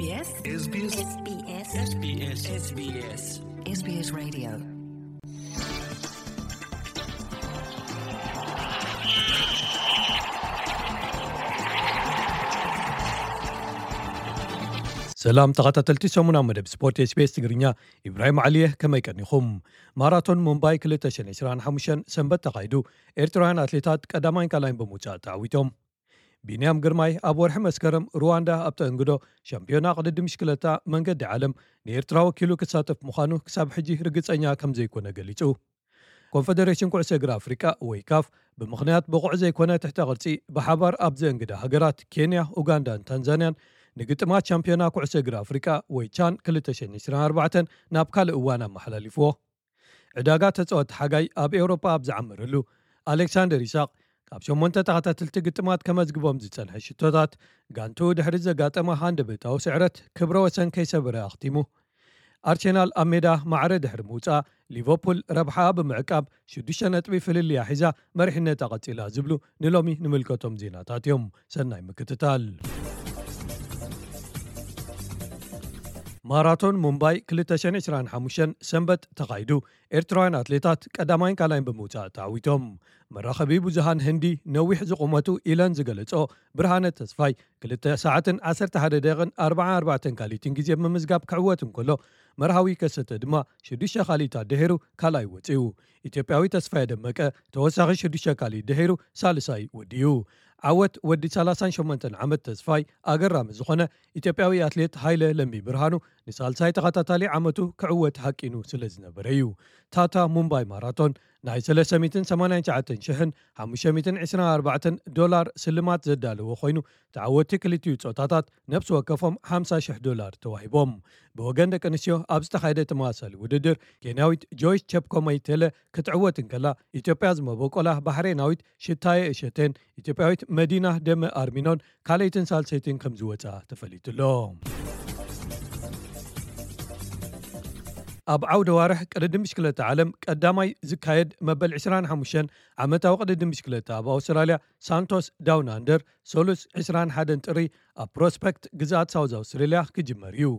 SBS SBS SBS SBS SBS Radio. ሰላም ተኸታተልቲ ሰሙናዊ መደብ ስፖርት SBS ትግርኛ፣ ኢብራሂም ዓሊየ፣ ከመይ ቀኒኹም? ማራቶን ሙምባይ ክልተ ሽሕን ዕስራን ሓሙሽተን ሰንበት ተኻይዱ፣ ኤርትራውያን ኣትሌታት ቀዳማይን ካልኣይን ብምውጻእ ተዓዊቶም። ቢንያም ግርማይ ኣብ ወርሒ መስከረም ሩዋንዳ ኣብ ተእንግዶ ሻምፒዮና ቅድድም ብሽክለታ መንገዲ ዓለም ንኤርትራ ወኪሉ ክሳተፍ ምዃኑ ክሳብ ሕጂ ርግጸኛ ከም ዘይኮነ ገሊጹ። ኮንፈደሬሽን ኩዕሶ እግሪ ኣፍሪቃ ወይ ካፍ ብምኽንያት ብቑዕ ዘይኮነ ትሕተ ቅርጺ ብሓባር ኣብ ዘእንግዳ ሃገራት ኬንያ፣ ኡጋንዳን ታንዛንያን ንግጥማት ሻምፒዮና ኩዕሶ እግሪ ኣፍሪቃ ወይ ቻን ክልተ ሽሕን ዕስራን ኣርባዕተን ናብ ካልእ እዋን ኣመሓላሊፍዎ። ዕዳጋ ተጻወቲ ሓጋይ ኣብ ኤውሮጳ ኣብ ዝዓመረሉ፣ ኣሌክሳንደር ይስሐቅ ካብ ሸሞንተ ተኸታተልቲ ግጥማት ከመዝግቦም ዝጸንሐ ሽቶታት፣ ጋንትኡ ድሕሪ ዘጋጠማ ሃንደበታዊ ስዕረት ክብረ ወሰን ከይሰበረ ኣኽቲሙ። ኣርሴናል ኣብ ሜዳ ማዕረ ድሕሪ ምውጻእ፣ ሊቨርፑል ረብሓኣ ብምዕቃብ ሽዱሽተ ነጥቢ ፍልልያ ሒዛ መሪሕነታ ቀጺላ ዝብሉ ንሎሚ ንምልከቶም ዜናታት እዮም። ሰናይ ምክትታል። ማራቶን ሙምባይ ክልተ ሽሕን ዕስራን ሓሙሽተን ሰንበት ተኻይዱ፣ ኤርትራውያን ኣትሌታት ቀዳማይን ካልኣይን ብምውጻእ ተዓዊቶም። መራኸቢ ብዙሃን ህንዲ ነዊሕ ዝቑመቱ ኢለን ዝገለጾ ብርሃነ ተስፋይ፣ ክልተ ሰዓትን ዓሰርተ ሓደ ደቂቕን ኣርባዓን ኣርባዕተን ካልኢትን ግዜ ብምምዝጋብ ክዕወት እንከሎ፣ መርሃዊ ከሰተ ድማ ሽዱሽተ ካልኢታት ድሒሩ ካልኣይ ወጺኡ። ኢትዮጵያዊ ተስፋየ ደመቀ ተወሳኺ ሽዱሽተ ካልኢት ድሒሩ ሳልሳይ ወዲኡ። ዓወት ወዲ ሰላሳን ሸሞንተን ዓመት ተስፋይ ኣገራሚ ዝኾነ ኢትዮጵያዊ ኣትሌት ሃይለ ለሚ ብርሃኑ ንሳልሳይ ተኸታታሊ ዓመቱ ክዕወት ሃቂኑ ስለ ዝነበረ እዩ። ታታ ሙምባይ ማራቶን ናይ ሰለስተ ሚእትን ሰማንያን ትሽዓተን ሽሕን ሓሙሽተ ሚእትን ዕስራን ኣርባዕተን ዶላር ስልማት ዘዳለወ ኮይኑ፣ ተዓወቲ ክልቲኡ ጾታታት ነብሲ ወከፎም ሓምሳ ሽሕ ዶላር ተዋሂቦም። ብወገን ደቂ ኣንስትዮ ኣብ ዝተኻየደ ተመሳሳሊ ውድድር፣ ኬንያዊት ጆይስ ቸፕኮመይ ቴለ ክትዕወት እንከላ፣ ኢትዮጵያ ዝመበቆላ ባሕሬናዊት ሽታየ እሸቴን ኢትዮጵያዊት መዲና ደመ ኣርሚኖን ካልኣይትን ሳልሰይትን ከም ዝወጻ ተፈሊጡ ኣሎ። ኣብ ዓውደ ዋርሕ ቅድድም ብሽክለታ ዓለም ቀዳማይ ዝካየድ መበል ዕስራን ሓሙሽተን ዓመታዊ ቅድድም ብሽክለታ ኣብ ኣውስትራልያ ሳንቶስ ዳውን ኣንደር ሰሉስ ዕስራን ሓደን ጥሪ ኣብ ፕሮስፐክት ግዝኣት ሳውዝ ኣውስትራልያ ክጅመር እዩ።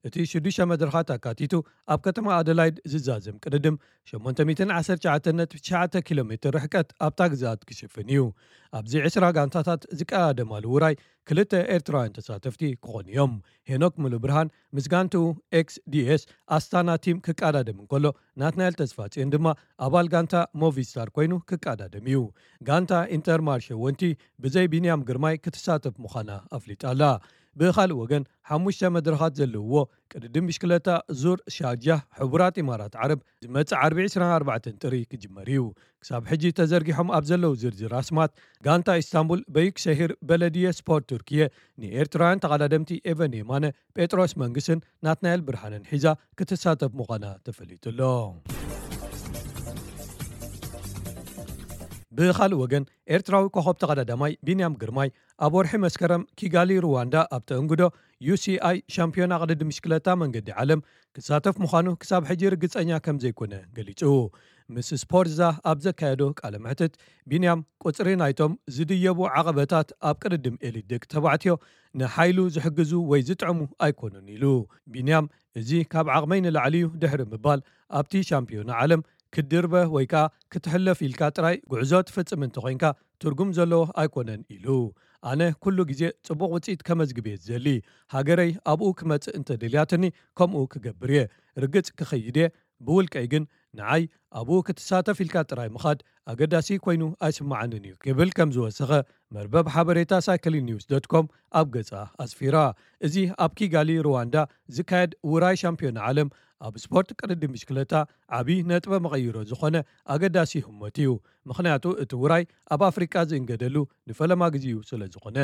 እቲ ሽዱሽተ መድረኻት ኣካቲቱ ኣብ ከተማ ኣደላይድ ዝዛዘም ቅድድም ሸሞንተ ሚእትን ዓሰርተ ትሽዓተን ነጥቢ ትሽዓተ ኪሎ ሜትር ርሕቀት ኣብታ ግዝኣት ክሽፍን እዩ። ኣብዚ ዕስራ ጋንታታት ዝቀዳደማሉ ውራይ ክልተ ኤርትራውያን ተሳተፍቲ ክኾኑ እዮም። ሄኖክ ሙሉብርሃን ምስ ጋንትኡ ኤክስ ዲ ኤስ ኣስታና ቲም ክቀዳደም እንከሎ፣ ናትናኤል ተስፋጽዮን ድማ ኣባል ጋንታ ሞቪስታር ኮይኑ ክቀዳደም እዩ። ጋንታ ኢንተርማርሸ ወንቲ ብዘይ ቢንያም ግርማይ ክትሳተፍ ምዃና ኣፍሊጣ ኣላ። ብኻልእ ወገን፣ ሓሙሽተ መድረኻት ዘለውዎ ቅድድም ብሽክለታ ዙር ሻርጃ ሕቡራት ኢማራት ዓረብ ዝመጽእ ዓርቢ ዕስራን ኣርባዕተን ጥሪ ክጅመር እዩ። ክሳብ ሕጂ ተዘርጊሖም ኣብ ዘለዉ ዝርዝር ኣስማት፣ ጋንታ ኢስታንቡል በዩክሸሂር በለድየ ስፖርት ቱርክየ ንኤርትራውያን ተቐዳደምቲ ኤቨን የማነ፣ ጴጥሮስ መንግስን ናትናኤል ብርሃንን ሒዛ ክትሳተፍ ምዃና ተፈሊጡ ኣሎ። ብኻልእ ወገን፣ ኤርትራዊ ኮኸብ ተቐዳዳማይ ቢንያም ግርማይ ኣብ ወርሒ መስከረም ኪጋሊ ሩዋንዳ ኣብ ተእንግዶ ዩ ሲ ኣይ ሻምፒዮና ቅድድም ብሽክለታ መንገዲ ዓለም ክሳተፍ ምዃኑ ክሳብ ሕጂ ርግጸኛ ከም ዘይኮነ ገሊጹ። ምስ ስፖርትዛ ኣብ ዘካየዶ ቃለ መሕትት፣ ቢንያም ቁጽሪ ናይቶም ዝድየቡ ዓቐበታት ኣብ ቅድድም ኤሊት ደቂ ተባዕትዮ ንሓይሉ ዝሕግዙ ወይ ዝጥዕሙ ኣይኮኑን ኢሉ። ቢንያም፣ እዚ ካብ ዓቕመይ ንላዕሊ እዩ ድሕሪ ምባል፣ ኣብቲ ሻምፒዮና ዓለም ክትድርበ ወይ ከኣ ክትሕለፍ ኢልካ ጥራይ ጉዕዞ ትፍጽም እንተኾይንካ ትርጉም ዘለዎ ኣይኮነን ኢሉ። ኣነ ኩሉ ግዜ ጽቡቕ ውጽኢት ከመዝግብ እየ ዝደሊ። ሃገረይ ኣብኡ ክመጽእ እንተደልያትኒ ከምኡ ክገብር እየ። ርግጽ ክኸይድ እየ። ብውልቀይ ግን ንዓይ ኣብኡ ክትሳተፍ ኢልካ ጥራይ ምኻድ ኣገዳሲ ኮይኑ ኣይስምዓንን እዩ ክብል ከም ዝወሰኸ መርበብ ሓበሬታ ሳይክሊን ኒውስ ዶት ኮም ኣብ ገጻ ኣስፊራ። እዚ ኣብ ኪጋሊ ሩዋንዳ ዝካየድ ውራይ ሻምፒዮና ዓለም ኣብ ስፖርት ቅድድም ብሽክለታ ዓቢ ነጥበ መቐይሮ ዝኾነ ኣገዳሲ ህሞት እዩ። ምኽንያቱ እቲ ውራይ ኣብ ኣፍሪቃ ዝእንገደሉ ንፈለማ ግዜኡ ስለ ዝኾነ።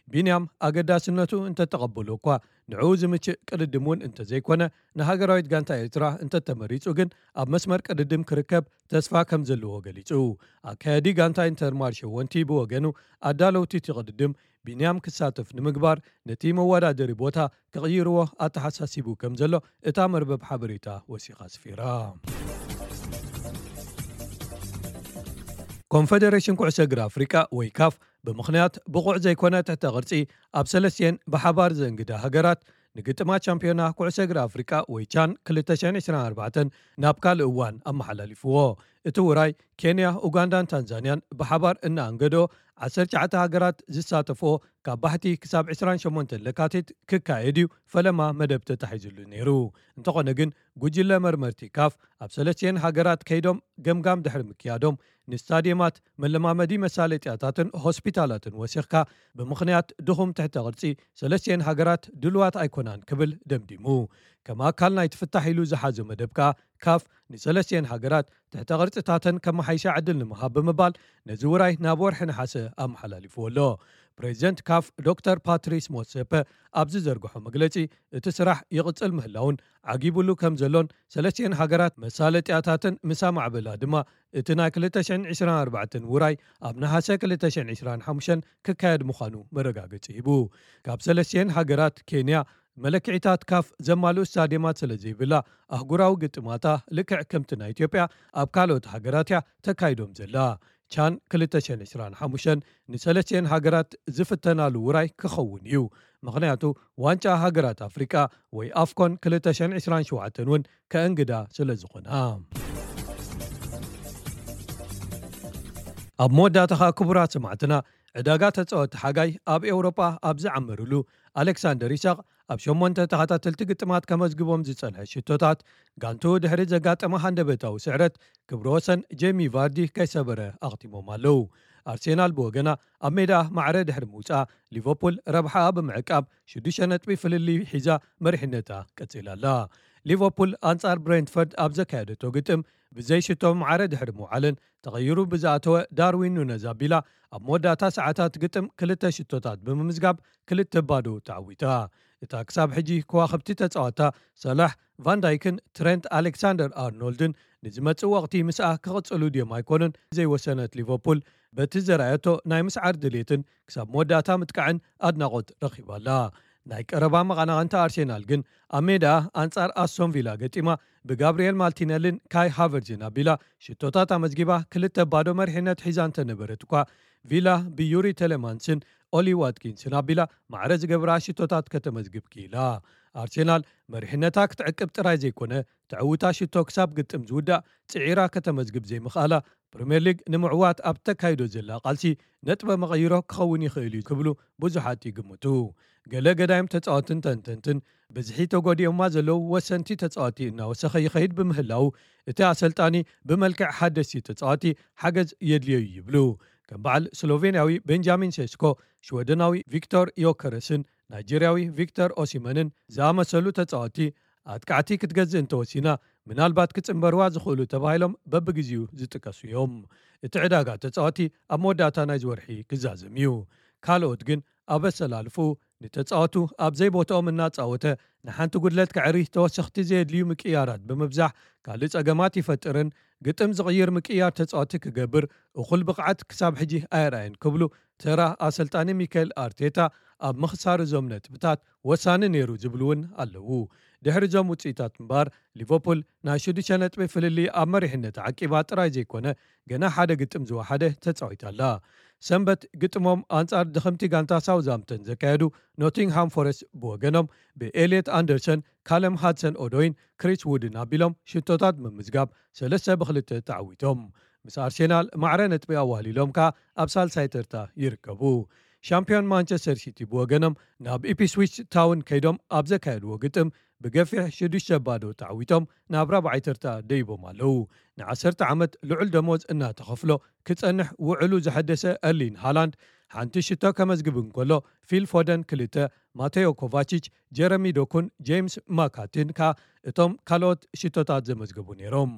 ቢንያም ኣገዳስነቱ እንተተቐበሎ እኳ ንዕኡ ዝምችእ ቅድድም እውን እንተዘይኮነ፣ ንሃገራዊት ጋንታ ኤርትራ እንተተመሪጹ ግን ኣብ መስመር ቅድድም ክርከብ ተስፋ ከም ዘለዎ ገሊጹ። ኣካያዲ ጋንታ ኢንተርማርሸ ወንቲ ብወገኑ፣ ኣዳለውቲ እቲ ቅድድም ቢንያም ክሳተፍ ንምግባር ነቲ መወዳደሪ ቦታ ክቕይርዎ ኣተሓሳሲቡ ከም ዘሎ እታ መርበብ ሓበሬታ ወሲኻ ኣስፊራ። ኮንፈደሬሽን ኩዕሶ እግሪ ኣፍሪቃ ወይ ካፍ ብምኽንያት ብቑዕ ዘይኮነ ትሕተ ቅርጺ ኣብ ሰለስቲኤን ብሓባር ዘእንግዳ ሃገራት ንግጥማት ሻምፒዮና ኩዕሶ እግሪ ኣፍሪቃ ወይ ቻን ክልተ ሽሕን ዕስራን ኣርባዕተን ናብ ካልእ እዋን ኣመሓላሊፍዎ። እቲ ውራይ ኬንያ፣ ኡጋንዳን ታንዛንያን ብሓባር እናኣንገዶ ዓሰርተ ትሽዓተ ሃገራት ዝሳተፍኦ ካብ ባሕቲ ክሳብ ዕስራን ሸሞንተን ለካቲት ክካየድ እዩ ፈለማ መደብ ተታሒዙሉ ነይሩ። እንተኾነ ግን ጉጅለ መርመርቲ ካፍ ኣብ ሰለስቲኤን ሃገራት ከይዶም ገምጋም ድሕሪ ምክያዶም ንስታዲየማት፣ መለማመዲ መሳለጥያታትን ሆስፒታላትን ወሲኽካ ብምኽንያት ድኹም ትሕተ ቅርጺ ሰለስቲኤን ሃገራት ድልዋት ኣይኮናን ክብል ደምዲሙ። ከም ኣካል ናይቲ ፍታሕ ኢሉ ዝሓዞ መደብ ከኣ ካፍ ንሰለስቲኤን ሃገራት ትሕተ ቅርጽታተን ከመሓይሻ ዕድል ንምሃብ ብምባል ነዚ ውራይ ናብ ወርሒ ነሓሰ ኣመሓላሊፍዎ ኣሎ። ፕሬዚደንት ካፍ ዶክተር ፓትሪስ ሞትሴፐ ኣብ ዝዘርግሖ መግለጺ እቲ ስራሕ ይቕጽል ምህላውን ዓጊቡሉ ከም ዘሎን ሰለስቲኤን ሃገራት መሳለጥያታትን ምስ ኣማዕበላ ድማ እቲ ናይ ክልተ ሽሕን ዕስራን ኣርባዕተን ውራይ ኣብ ነሓሰ ክልተ ሽሕን ዕስራን ሓሙሽተን ክካየድ ምዃኑ መረጋገጺ ሂቡ። ካብ ሰለስቲኤን ሃገራት ኬንያ መለክዒታት ካፍ ዘማልኡ ስታዲየማት ስለ ዘይብላ ኣህጉራዊ ግጥማታ ልክዕ ከምቲ ናይ ኢትዮጵያ ኣብ ካልኦት ሃገራት እያ ተካይዶም ዘላ። ቻን ክልተ ሽሕን ዕስራን ሓሙሽተን ንሰለስቲኤን ሃገራት ዝፍተናሉ ውራይ ክኸውን እዩ። ምኽንያቱ ዋንጫ ሃገራት ኣፍሪቃ ወይ ኣፍኮን ክልተ ሽሕን ዕስራን ሸውዓተን እውን ከእንግዳ ስለ ዝኾና። ኣብ መወዳእታ ኸኣ ክቡራት ሰማዕትና ዕዳጋ ተጻወቲ ሓጋይ ኣብ ኤውሮጳ ኣብ ዝዓመርሉ ኣሌክሳንደር ኢሳቕ ኣብ ሸሞንተ ተኸታተልቲ ግጥማት ከመዝግቦም ዝጸንሐ ሽቶታት ጋንቱ ድሕሪ ዘጋጠመ ሃንደበታዊ ስዕረት ክብረ ወሰን ጄሚ ቫርዲ ከይሰበረ ኣኽቲሞም ኣለዉ። ኣርሴናል ብወገና ኣብ ሜዳ ማዕረ ድሕሪ ምውጻኣ ሊቨርፑል ረብሓኣ ብምዕቃብ ሽዱሽተ ነጥቢ ፍልልይ ሒዛ መሪሕነታ ቀጺላ ኣላ። ሊቨርፑል ኣንጻር ብሬንትፈርድ ኣብ ዘካየደቶ ግጥም ብዘይ ሽቶ ማዕረ ድሕሪ ምውዓለን ተቐይሩ ብዝኣተወ ዳርዊን ኑነዝ ኣቢላ ኣብ መወዳእታ ሰዓታት ግጥም ክልተ ሽቶታት ብምምዝጋብ ክልተ ባዶ ተዓዊታ። እታ ክሳብ ሕጂ ከዋኽብቲ ተጻዋታ ሰላሕ፣ ቫንዳይክን ትሬንት ኣሌክሳንደር ኣርኖልድን ንዝመጽእ ወቕቲ ምስኣ ክቕጽሉ ድዮም ኣይኮኑን ዘይወሰነት ሊቨርፑል በቲ ዘርኣየቶ ናይ ምስዓር ድሌትን ክሳብ መወዳእታ ምጥቃዕን ኣድናቖት ረኺባላ። ናይ ቀረባ መቐናቕንታ ኣርሴናል ግን ኣብ ሜዳ ኣንጻር ኣስቶን ቪላ ገጢማ ብጋብርኤል ማርቲነልን ካይ ሃቨርዝን ኣቢላ ሽቶታት ኣመዝጊባ ክልተ ባዶ መሪሕነት ሒዛ እንተነበረት እኳ ቪላ ብዩሪ ቴሌማንስን ኦሊ ዋትኪንስን ኣቢላ ማዕረ ዝገብራ ሽቶታት ከተመዝግብ ክኢላ። ኣርሴናል መሪሕነታ ክትዕቅብ ጥራይ ዘይኮነ ተዕውታ ሽቶ ክሳብ ግጥም ዝውዳእ ጽዒራ ከተመዝግብ ዘይምኽኣላ ፕሪምየር ሊግ ንምዕዋት ኣብ ተካይዶ ዘላ ቃልሲ ነጥበ መቐይሮ ክኸውን ይኽእል እዩ ክብሉ ብዙሓት ይግምቱ። ገለ ገዳይም ተጻወትን ተንተንትን ብዝሒ ተጎዲኦማ ዘለዉ ወሰንቲ ተጻወቲ እናወሰኸ ይኸይድ ብምህላው እቲ ኣሰልጣኒ ብመልክዕ ሓደስቲ ተጻወቲ ሓገዝ የድልዮ እዩ ይብሉ። ከም በዓል ስሎቬንያዊ ቤንጃሚን ሴስኮ፣ ሽወደናዊ ቪክቶር ዮከረስን ናይጄርያዊ ቪክተር ኦሲመንን ዝኣመሰሉ ተጻወቲ ኣጥቃዕቲ ክትገዝእ እንተወሲና ምናልባት ክጽንበርዋ ዝኽእሉ ተባሂሎም በብግዜኡ ዝጥቀሱ እዮም። እቲ ዕዳጋ ተጻወቲ ኣብ መወዳእታ ናይዚ ወርሒ ክዛዘም እዩ። ካልኦት ግን ኣብ ኣሰላልፍኡ ንተጻወቱ ኣብ ዘይቦትኦም እናጻወተ ንሓንቲ ጉድለት ከዕሪ ተወሰኽቲ ዘየድልዩ ምቅያራት ብምብዛሕ ካልእ ጸገማት ይፈጥርን ግጥም ዝቕይር ምቅያር ተጻወቲ ክገብር እኹል ብቕዓት ክሳብ ሕጂ ኣየርኣየን ክብሉ ተራ ኣሰልጣኒ ሚካኤል ኣርቴታ ኣብ ምኽሳር እዞም ነጥብታት ወሳኒ ነይሩ ዝብሉ እውን ኣለዉ። ድሕሪ እዞም ውጽኢታት እምበኣር ሊቨርፑል ናይ ሽዱሽተ ነጥቢ ፍልልይ ኣብ መሪሕነት ዓቂባ ጥራይ ዘይኮነ ገና ሓደ ግጥም ዝወሓደ ተጻዊታ ኣላ። ሰንበት ግጥሞም ኣንጻር ድኽምቲ ጋንታ ሳውዝሃምፕተን ዘካየዱ ኖቲንግሃም ፎረስት ብወገኖም ብኤልየት ኣንደርሰን፣ ካለም ሃድሰን ኦዶይን ክሪስ ውድን ኣቢሎም ሽቶታት ብምምዝጋብ ሰለስተ ብክልተ ተዓዊቶም። ምስ ኣርሴናል ማዕረ ነጥቢ ኣዋህሊሎም ከኣ ኣብ ሳልሳይ ተርታ ይርከቡ። ሻምፒዮን ማንቸስተር ሲቲ ብወገኖም ናብ ኢፕስዊች ታውን ከይዶም ኣብ ዘካየድዎ ግጥም ብገፊሕ ሽዱሽተ ባዶ ተዓዊቶም ናብ ራብዓይ ተርታ ደይቦም ኣለዉ። ንዓሰርተ ዓመት ልዑል ደሞዝ እናተኸፍሎ ክጸንሕ ውዕሉ ዘሐደሰ ኤርሊን ሃላንድ ሓንቲ ሽቶ ከመዝግብ እንከሎ ፊል ፎደን ክልተ፣ ማቴዮ ኮቫቺች፣ ጀረሚ ዶኩን፣ ጄምስ ማካትን ከኣ እቶም ካልኦት ሽቶታት ዘመዝገቡ ነይሮም።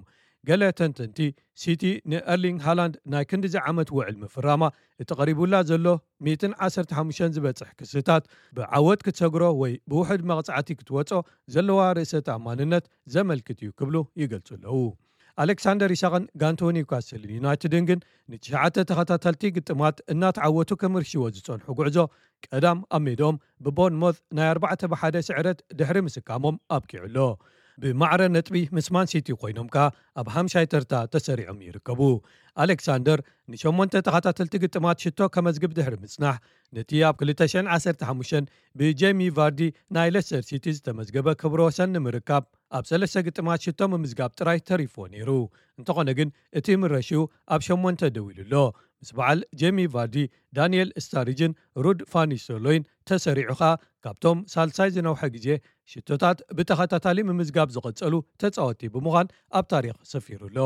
ገለ ተንተንቲ ሲቲ ንኤርሊንግ ሃላንድ ናይ ክንድዚ ዓመት ውዕል ምፍራማ እቲ ቀሪቡላ ዘሎ ሚእትን ዓሰርተ ሓሙሽተን ዝበጽሕ ክስታት ብዓወት ክትሰግሮ ወይ ብውሑድ መቕጻዕቲ ክትወጾ ዘለዋ ርእሰ ተኣማንነት ዘመልክት እዩ ክብሉ ይገልጹ ኣለዉ። ኣሌክሳንደር ኢሳቕን ጋንቶ ኒውካስል ዩናይትድን ግን ንትሽዓተ ተኸታተልቲ ግጥማት እናተዓወቱ ክምርሽዎ ዝጸንሑ ጉዕዞ ቀዳም ኣብ ሜድኦም ብቦርንሞዝ ናይ ኣርባዕተ ብሓደ ስዕረት ድሕሪ ምስካሞም ኣብቂዑ ኣሎ። ብማዕረ ነጥቢ ምስ ማን ሲቲ ኮይኖም ከኣ ኣብ ሓምሻይ ተርታ ተሰሪዖም ይርከቡ። ኣሌክሳንደር ንሸሞንተ ተኸታተልቲ ግጥማት ሽቶ ከመዝግብ ድሕሪ ምጽናሕ፣ ነቲ ኣብ ክልተ ሽሕን ዓሰርተ ሓሙሽተን ብጄሚ ቫርዲ ናይ ሌስተር ሲቲ ዝተመዝገበ ክብረ ወሰን ንምርካብ ኣብ ሰለስተ ግጥማት ሽቶ ምምዝጋብ ጥራይ ተሪፍዎ ነይሩ። እንተኾነ ግን እቲ ምረሽኡ ኣብ ሸሞንተ ደው ኢሉ ኣሎ። ምስ በዓል ጄሚ ቫርዲ፣ ዳንኤል ስታሪጅን ሩድ ፋኒስተርሎይን ተሰሪዑ ከኣ ካብቶም ሳልሳይ ዝነውሐ ግዜ ሽቶታት ብተኸታታሊ ምምዝጋብ ዝቐጸሉ ተጻወቲ ብምዃን ኣብ ታሪኽ ሰፊሩ ኣሎ።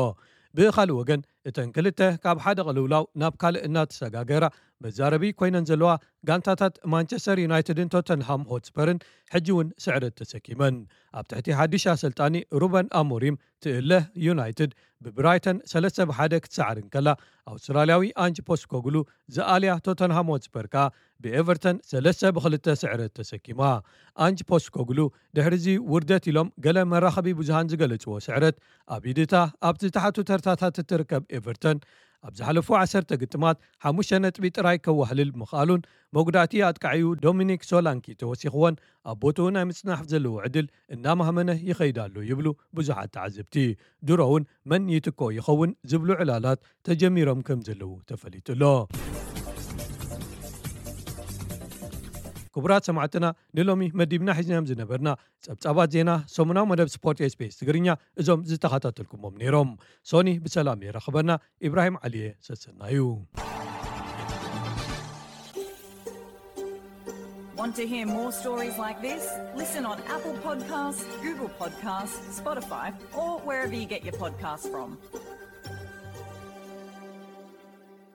ብኻልእ ወገን፣ እተን ክልተ ካብ ሓደ ቅልውላው ናብ ካልእ እናተሰጋገራ መዛረቢ ኮይነን ዘለዋ ጋንታታት ማንቸስተር ዩናይትድን ቶተንሃም ሆትስፐርን ሕጂ እውን ስዕረት ተሰኪመን። ኣብ ትሕቲ ሓድሽ ኣሰልጣኒ ሩበን ኣሞሪም ትእለ ዩናይትድ ብብራይተን ሰለስተ ብሓደ ክትሰዕር እንከላ፣ ኣውስትራልያዊ ኣንጅ ፖስኮግሉ ዝኣልያ ቶተንሃም ሆትስፐር ከኣ ብኤቨርተን ሰለስተ ብክልተ ስዕረት ተሰኪማ። ኣንጅ ፖስኮግሉ ድሕሪዚ ውርደት ኢሎም ገለ መራኸቢ ብዙሃን ዝገለጽዎ ስዕረት፣ ኣብ ኢድታ ኣብ ዝተሓቱ ተርታታት እትርከብ ኤቨርተን ኣብ ዝሓለፉ ዓሰርተ ግጥማት ሓሙሽተ ነጥቢ ጥራይ ከዋህልል ምኽኣሉን፣ መጉዳእቲ ኣጥቃዒኡ ዶሚኒክ ሶላንኪ ተወሲኽዎን ኣብ ቦትኡ ናይ ምጽናሕ ዘለዎ ዕድል እናማህመነ ይኸይድ ኣሎ ይብሉ ብዙሓት ተዓዘብቲ። ድሮ እውን መን ይትክኦ ይኸውን ዝብሉ ዕላላት ተጀሚሮም ከም ዘለዉ ተፈሊጡ ኣሎ። ክቡራት ሰማዕትና፣ ንሎሚ መዲብና ሒዝናዮም ዝነበርና ጸብጻባት ዜና ሰሙናዊ መደብ ስፖርት ኤስቢኤስ ትግርኛ እዞም ዝተኸታተልኩሞም ነይሮም። ሶኒ ብሰላም የራኽበና። ኢብራሂም ዓሊየ ሰሰናዩ። Want to hear more stories like this? Listen on Apple Podcasts, Google Podcasts, Spotify, or wherever you get your podcasts from.